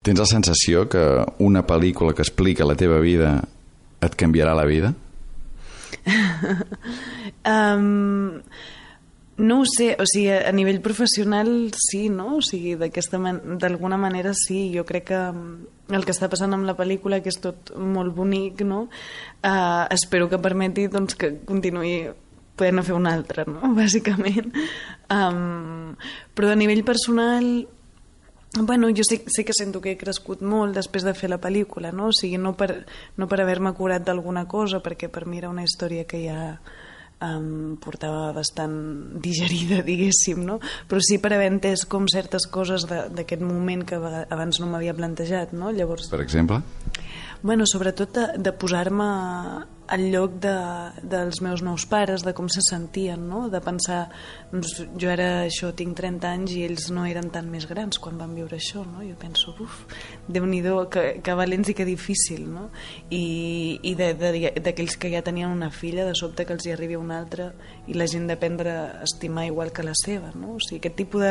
Tens la sensació que una pel·lícula que explica la teva vida et canviarà la vida? No ho sé, o sigui, a nivell professional sí, no? O sigui, d'alguna manera sí. Jo crec que el que està passant amb la pel·lícula, que és tot molt bonic, no? Espero que permeti doncs, que continuï podent fer una altra, no? Bàsicament. Però a nivell personal, bueno, jo sí que sento que he crescut molt després de fer la pel·lícula, no? O sigui, no per haver-me curat d'alguna cosa, perquè per mi era una història que ja portava bastant digerida, diguéssim, no? Però sí per haver entès com certes coses d'aquest moment que abans no m'havia plantejat, no? Llavors, per exemple? Bueno, sobretot de posar-me al lloc dels meus nous pares, de com se sentien, no? De pensar, doncs, jo tinc 30 anys i ells no eren tan més grans quan van viure això, no? Jo penso, Déu-n'hi-do, que valents i que difícil, no? I d'aquells que ja tenien una filla, de sobte que els hi arribi una altra i la gent d'aprendre a estimar igual que la seva, no? O sigui, aquest tipus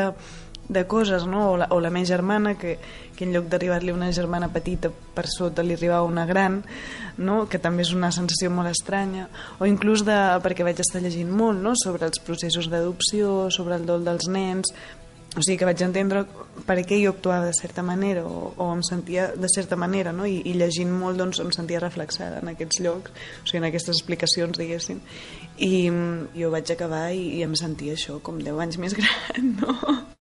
de coses, no? O la meva germana, que en lloc d'arribar-li una germana petita, per sota li arribava una gran, no? Que també és una sensació molt estranya, o inclús perquè vaig estar llegint molt, no? Sobre els processos d'adopció, sobre el dol dels nens, o sigui que vaig entendre per què jo actuava de certa manera o em sentia de certa manera, no? I llegint molt doncs em sentia reflexada en aquests llocs, o sigui, en aquestes explicacions, diguéssim, i jo vaig acabar i em sentia això com 10 anys més gran, no?